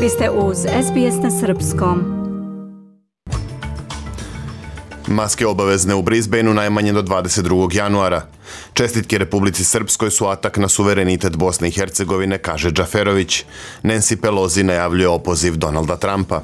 Vi ste uz SBS na srpskom. Maske obavezne u Brisbaneu najmanje do 22. januara. Čestitke Republici Srpskoj su atak na suverenitet Bosne i Hercegovine, kaže Džaferović. Nancy Pelosi najavljuje opoziv Donalda Trumpa.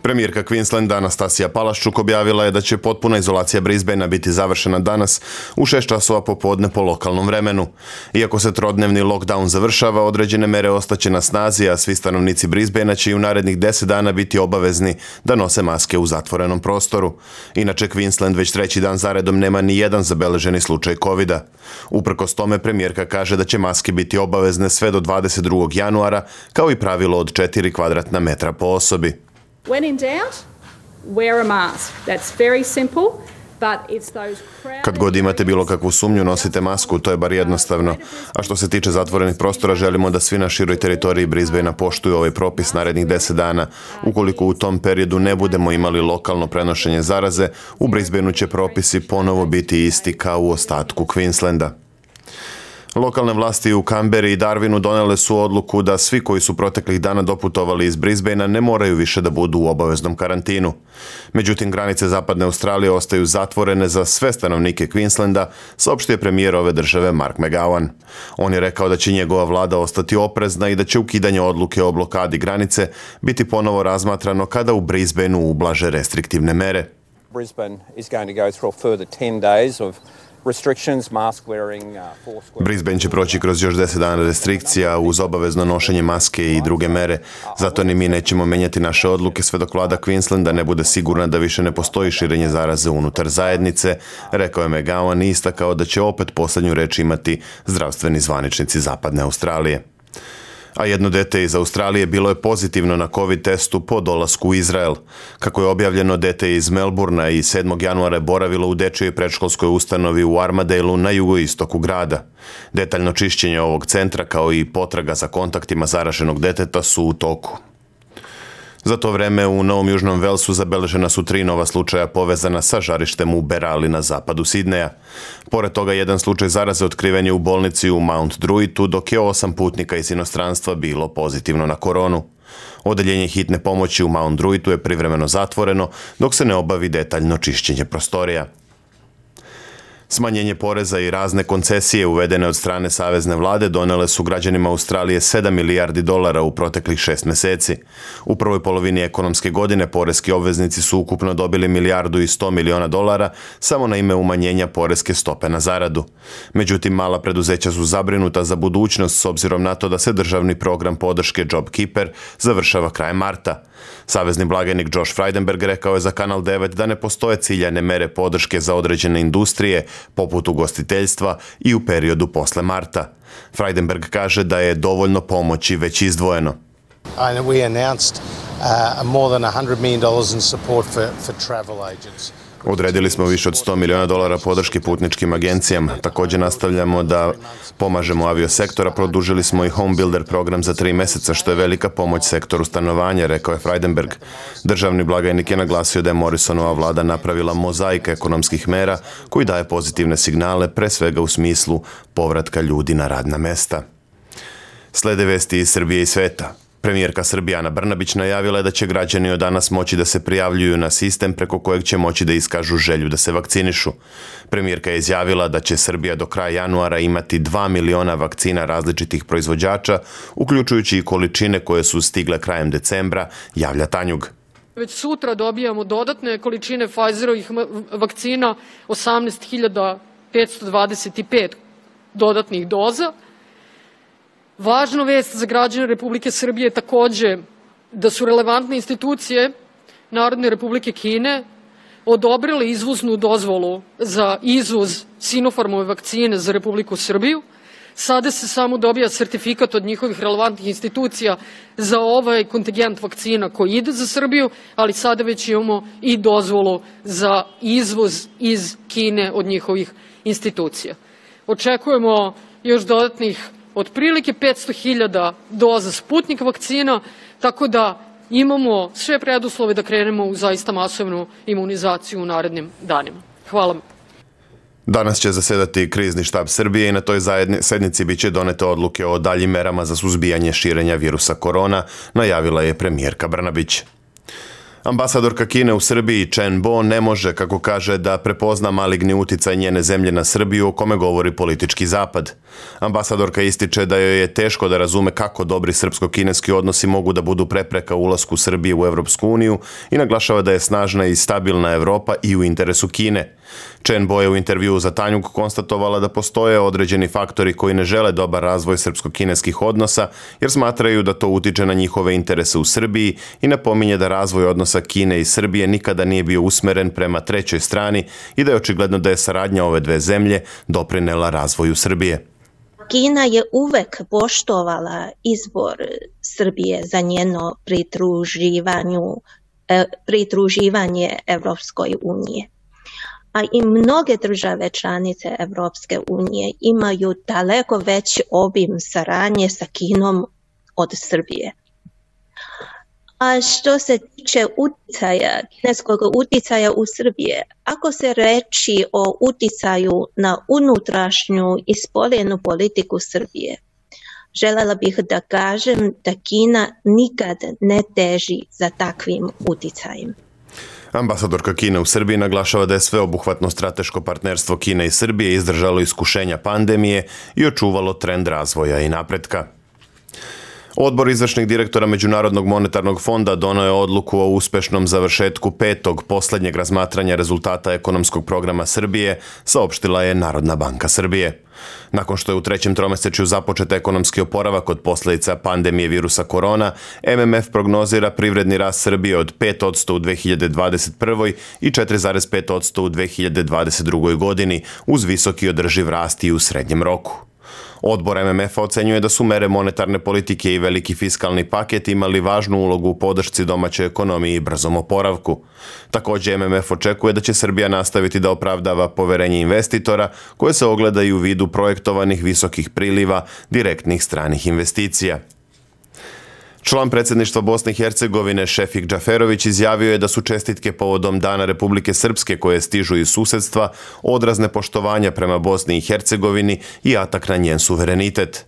Premijerka Queenslanda Anastasija Palaszczuk objavila je da će potpuna izolacija Brisbanea biti završena danas u 6 časova popodne po lokalnom vremenu. Iako se trodnevni lockdown završava, određene mere ostaće na snazi, a svi stanovnici Brisbanea će i u narednih 10 dana biti obavezni da nose maske u zatvorenom prostoru. Inače, Queensland već 3. dan zaredom nema ni jedan zabeleženi slučaj covida. Uprkos tome, premijerka kaže da će maske biti obavezne sve do 22. januara, kao i pravilo od 4 kvadratna metra po osobi. When in doubt, wear a mask. That's very simple, but it's those Kad god imate bilo kakvu sumnju, nosite masku, to je bar jednostavno. A što se tiče zatvorenih prostora, želimo da svi na široj teritoriji Brisbanea poštuju ovaj propis narednih 10 dana. Ukoliko u tom periodu ne budemo imali lokalno prenošenje zaraze, u Brisbaneu će propisi ponovo biti isti kao u ostatku Queenslanda. Lokalne vlasti u Canberri i Darwinu donele su odluku da svi koji su proteklih dana doputovali iz Brisbanea ne moraju više da budu u obaveznom karantinu. Međutim, granice zapadne Australije ostaju zatvorene za sve stanovnike Queenslanda, saopštio je premijer ove države Mark McGowan. On je rekao da će njegova vlada ostati oprezna i da će ukidanje odluke o blokadi granice biti ponovo razmatrano kada u Brisbaneu ublaže restriktivne mere. Brisbane is going to go through a further 10 days of Brisbane će proći kroz još 10 dana restrikcija uz obavezno nošenje maske i druge mere. Zato ni mi nećemo menjati naše odluke sve dok vlada Queenslanda ne bude sigurna da više ne postoji širenje zaraze unutar zajednice, rekao je McGowan i istakao da će opet posljednju reč imati zdravstveni zvaničnici zapadne Australije. A jedno dete iz Australije bilo je pozitivno na COVID testu po dolasku u Izrael. Kako je objavljeno, dete iz Melbournea i 7. januara je boravilo u dečjoj predškolskoj ustanovi u Armadaleu na jugoistoku grada. Detaljno čišćenje ovog centra kao i potraga za kontaktima zaraženog deteta su u toku. Za to vreme u Novom Južnom Velsu zabeležena su 3 nova slučaja povezana sa žarištem u Berali na zapadu Sidneja. Pored toga, jedan slučaj zaraze otkriven je u bolnici u Mount Druittu, dok je 8 putnika iz inostranstva bilo pozitivno na koronu. Odeljenje hitne pomoći u Mount Druittu je privremeno zatvoreno dok se ne obavi detaljno čišćenje prostorija. Smanjenje poreza i razne koncesije uvedene od strane savezne vlade donele su građanima Australije $7 milijardi u proteklih 6 meseci. U prvoj polovini ekonomske godine poreski obveznici su ukupno dobili $1 milijardu i 100 miliona samo na ime umanjenja poreske stope na zaradu. Međutim, mala preduzeća su zabrinuta za budućnost s obzirom na to da se državni program podrške JobKeeper završava krajem marta. Savezni blagajnik Josh Frydenberg rekao je za Kanal 9 da ne postoje ciljane mere podrške za određene industrije, poput ugostiteljstva i u periodu posle marta. Frydenberg kaže da je dovoljno pomoći već izdvojeno. We announced more than $100 million in support for travel agents. Odredili smo više od $100 miliona podrške putničkim agencijama. Također nastavljamo da pomažemo aviosektora. Produžili smo i Home Builder program za 3 meseca, što je velika pomoć sektoru stanovanja, rekao je Frydenberg. Državni blagajnik je naglasio da je Morrisonova vlada napravila mozaik ekonomskih mera koji daje pozitivne signale, pre svega u smislu povratka ljudi na radna mesta. Slede vesti iz Srbije i sveta. Premijerka Srbije Ana Brnabić najavila je da će građani od danas moći da se prijavljuju na sistem preko kojeg će moći da iskažu želju da se vakcinišu. Premijerka je izjavila da će Srbija do kraja januara imati 2 miliona vakcina različitih proizvođača, uključujući i količine koje su stigle krajem decembra, javlja Tanjug. Već sutra dobijamo dodatne količine Pfizerovih vakcina, 18.525 dodatnih doza. Važna vest za građane Republike Srbije je takođe da su relevantne institucije Narodne Republike Kine odobrile izvoznu dozvolu za izvoz Sinopharmove vakcine za Republiku Srbiju. Sada se samo dobija sertifikat od njihovih relevantnih institucija za ovaj kontingent vakcina koji ide za Srbiju, ali sada već imamo i dozvolu za izvoz iz Kine od njihovih institucija. Očekujemo još dodatnih otprilike 500.000 doza Sputnik vakcina, tako da imamo sve preduslove da krenemo u zaista masovnu imunizaciju u narednim danima. Hvala. Danas će zasedati krizni štab Srbije i na toj sednici biće donete odluke o daljim merama za suzbijanje širenja virusa korona, najavila je premijerka Brnabić. Ambasadorka Kine u Srbiji Chen Bo ne može, kako kaže, da prepozna maligni uticaj njene zemlje na Srbiju o kome govori politički zapad. Ambasadorka ističe da joj je teško da razume kako dobri srpsko-kineski odnosi mogu da budu prepreka ulasku Srbije u Evropsku uniju i naglašava da je snažna i stabilna Evropa i u interesu Kine. Chen Bo je u intervjuu za Tanjug konstatovala da postoje određeni faktori koji ne žele dobar razvoj srpsko-kineskih odnosa jer smatraju da to utiče na njihove interese u Srbiji i napominje da razvoj odnosa Kine i Srbije nikada nije bio usmeren prema trećoj strani i da je očigledno da je saradnja ove dve zemlje doprinela razvoju Srbije. Kina je uvek poštovala izbor Srbije za njeno pridruživanje Evropskoj unije. A i mnoge države članice Evropske unije imaju daleko veći obim saradnje sa Kinom od Srbije. A što se tiče kineskog uticaja u Srbije, ako se reči o uticaju na unutrašnju i spoljnu politiku Srbije, želela bih da kažem da Kina nikad ne teži za takvim uticajem. Ambasadorka Kine u Srbiji naglašava da je sveobuhvatno strateško partnerstvo Kine i Srbije izdržalo iskušenja pandemije i očuvalo trend razvoja i napretka. Odbor izvršnih direktora Međunarodnog monetarnog fonda doneo je odluku o uspešnom završetku petog posljednjeg razmatranja rezultata ekonomskog programa Srbije, saopštila je Narodna banka Srbije. Nakon što je u trećem tromesečju započet ekonomski oporavak od posljedica pandemije virusa korona, MMF prognozira privredni rast Srbije od 5% u 2021. i 4,5% u 2022. godini, uz visoki održiv rast i u srednjem roku. Odbor MMF-a ocenjuje da su mere monetarne politike i veliki fiskalni paket imali važnu ulogu u podršci domaćoj ekonomiji i brzom oporavku. Također MMF očekuje da će Srbija nastaviti da opravdava poverenje investitora koje se ogleda i u vidu projektovanih visokih priliva direktnih stranih investicija. Član predsjedništva Bosne i Hercegovine Šefik Džaferović izjavio je da su čestitke povodom Dana Republike Srpske koje stižu iz susedstva odraz nepoštovanja prema Bosni i Hercegovini i atak na njen suverenitet.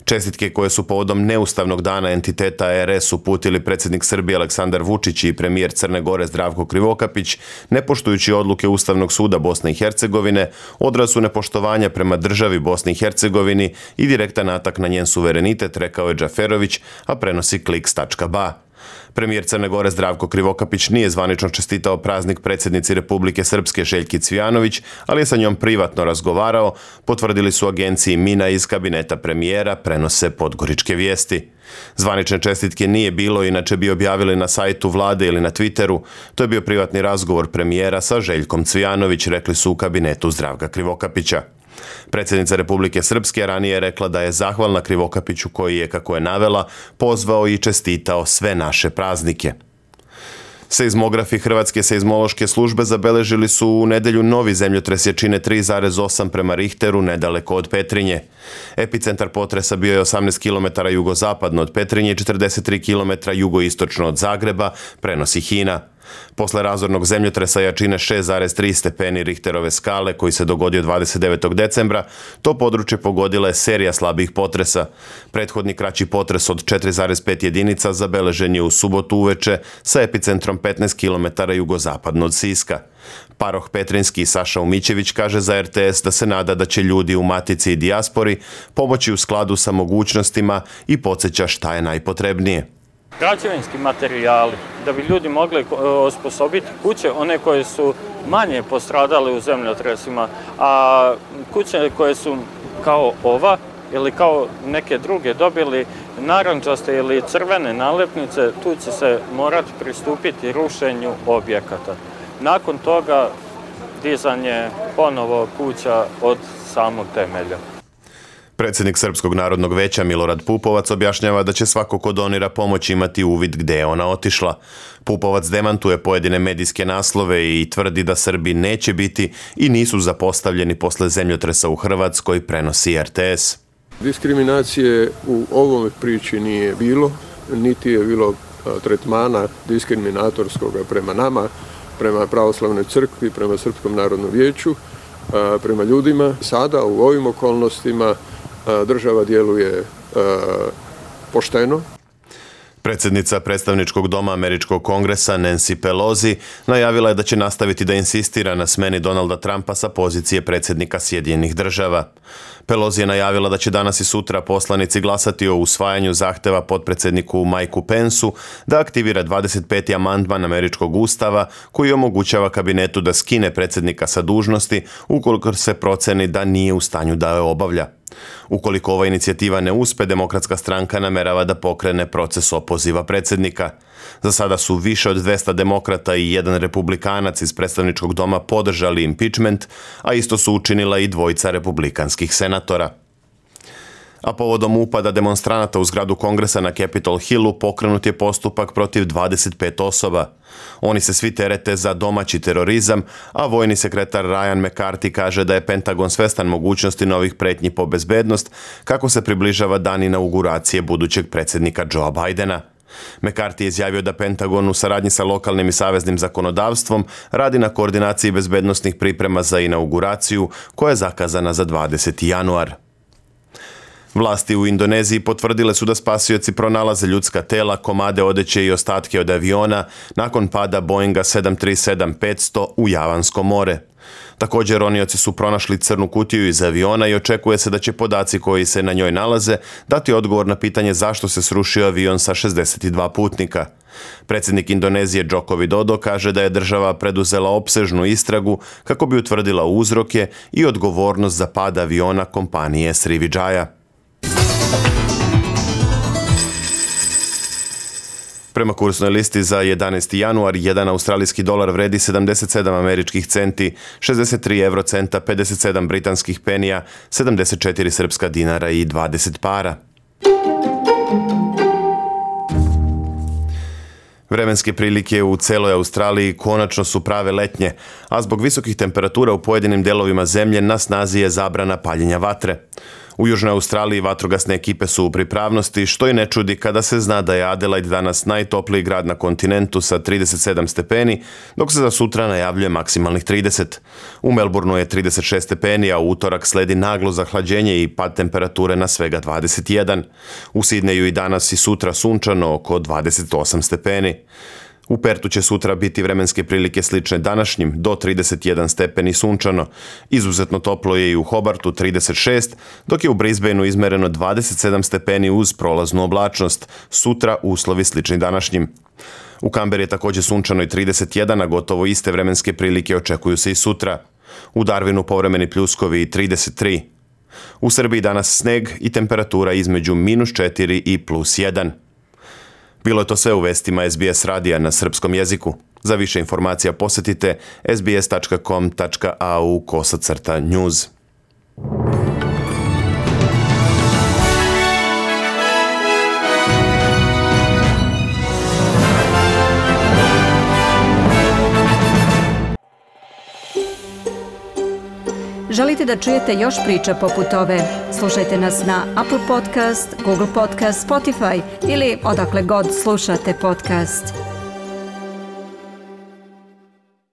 Čestitke koje su povodom neustavnog dana entiteta RS uputili predsjednik Srbije Aleksandar Vučić i premijer Crne Gore Zdravko Krivokapić, ne poštujući odluke Ustavnog suda Bosne i Hercegovine, odraz su nepoštovanja prema državi Bosni i Hercegovini i direktan atak na njen suverenitet, rekao je Džaferović, a prenosi Kliks.ba. Premijer Crne Gore Zdravko Krivokapić nije zvanično čestitao praznik predsjednici Republike Srpske Željki Cvijanović, ali je sa njom privatno razgovarao, potvrdili su agenciji Mina iz kabineta premijera, prenose Podgoričke vijesti. Zvanične čestitke nije bilo, inače bi objavili na sajtu vlade ili na Twitteru. To je bio privatni razgovor premijera sa Željkom Cvijanović, rekli su u kabinetu Zdravka Krivokapića. Predsjednica Republike Srpske ranije je rekla da je zahvalna Krivokapiću koji je, kako je navela, pozvao i čestitao sve naše praznike. Seizmografi Hrvatske seizmološke službe zabeležili su u nedjelju novi zemljotres jačine 3,8 prema Richteru nedaleko od Petrinje. Epicentar potresa bio je 18 km jugozapadno od Petrinje i 43 km jugoistočno od Zagreba, prenosi HINA. Posle razornog zemljotresa jačine 6,3 stepeni Richterove skale koji se dogodio 29. decembra, to područje pogodila je serija slabih potresa. Prethodni kraći potres od 4,5 jedinica zabeležen je u subotu uveče sa epicentrom 15 km jugozapadno od Siska. Paroh Petrinski Saša Umićević kaže za RTS da se nada da će ljudi u matici i dijaspori pomoći u skladu sa mogućnostima i podsjeća šta je najpotrebnije. Građevinski materijali, da bi ljudi mogli osposobiti kuće, one koje su manje postradale u zemljotresima, a kuće koje su kao ova ili kao neke druge dobili narandžaste ili crvene nalepnice, tu će se morati pristupiti rušenju objekata. Nakon toga dizanje ponovo kuća od samog temelja. Predsjednik Srpskog narodnog veća Milorad Pupovac objašnjava da će svako ko donira pomoć imati uvid gde je ona otišla. Pupovac demantuje pojedine medijske naslove i tvrdi da Srbi neće biti i nisu zapostavljeni posle zemljotresa u Hrvatskoj, prenosi RTS. Diskriminacije u ovome priči nije bilo, niti je bilo tretmana diskriminatorskoga prema nama, prema pravoslavnoj crkvi, prema Srpskom narodnom vijeću, prema ljudima. Sada u ovim okolnostima država djeluje pošteno. Predsjednica predstavničkog doma Američkog kongresa Nancy Pelosi najavila je da će nastaviti da insistira na smeni Donalda Trumpa sa pozicije predsjednika Sjedinjenih država. Pelosi je najavila da će danas i sutra poslanici glasati o usvajanju zahteva potpredsjedniku Mikeu Pensu da aktivira 25. amandman Američkog ustava koji omogućava kabinetu da skine predsjednika sa dužnosti ukoliko se proceni da nije u stanju da je obavlja. Ukoliko ova inicijativa ne uspe, Demokratska stranka namerava da pokrene proces opoziva predsjednika. Za sada su više od 200 demokrata i jedan republikanac iz predstavničkog doma podržali impeachment, a isto su učinila i dvojica republikanskih senatora. A povodom upada demonstranata u zgradu Kongresa na Capitol Hillu pokrenut je postupak protiv 25 osoba. Oni se svi terete za domaći terorizam, a vojni sekretar Ryan McCarthy kaže da je Pentagon svestan mogućnosti novih pretnji po bezbednost kako se približava dan inauguracije budućeg predsjednika Joea Bidena. McCarthy je izjavio da Pentagon u saradnji sa lokalnim i saveznim zakonodavstvom radi na koordinaciji bezbednosnih priprema za inauguraciju koja je zakazana za 20. januar. Vlasti u Indoneziji potvrdile su da spasioci pronalaze ljudska tela, komade odeće i ostatke od aviona nakon pada Boeinga 737-500 u Javansko more. Također ronioci su pronašli crnu kutiju iz aviona i očekuje se da će podaci koji se na njoj nalaze dati odgovor na pitanje zašto se srušio avion sa 62 putnika. Predsjednik Indonezije Joko Widodo kaže da je država preduzela opsežnu istragu kako bi utvrdila uzroke i odgovornost za pad aviona kompanije Sriwijaya. Prema kursnoj listi za 11. januar, 1 australijski dolar vredi 77 američkih centi, 63 eurocenta, 57 britanskih penija, 74 srpska dinara i 20 para. Vremenske prilike u celoj Australiji konačno su prave letnje, a zbog visokih temperatura u pojedinim delovima zemlje na snazi je zabrana paljenja vatre. U Južnoj Australiji vatrogasne ekipe su u pripravnosti, što i ne čudi kada se zna da je Adelaide danas najtopliji grad na kontinentu sa 37 stepeni, dok se za sutra najavljuje maksimalnih 30. U Melbourneu je 36 stepeni, a u utorak sledi naglo zahlađenje i pad temperature na svega 21. U Sidneju i danas i sutra sunčano oko 28 stepeni. U Pertu će sutra biti vremenske prilike slične današnjim, do 31 stepeni sunčano. Izuzetno toplo je i u Hobartu 36, dok je u Brisbaneu izmereno 27 stepeni uz prolaznu oblačnost. Sutra uslovi slični današnjim. U Kamberi je također sunčano i 31, a gotovo iste vremenske prilike očekuju se i sutra. U Darwinu povremeni pljuskovi i 33. U Srbiji danas sneg i temperatura između -4 i +1. Bilo je to sve u vestima SBS radija na srpskom jeziku. Za više informacija posjetite sbs.com.au/news. Želite da čujete još priča poput ove? Slušajte nas na Apple Podcast, Google Podcast, Spotify ili odakle god slušate podcast.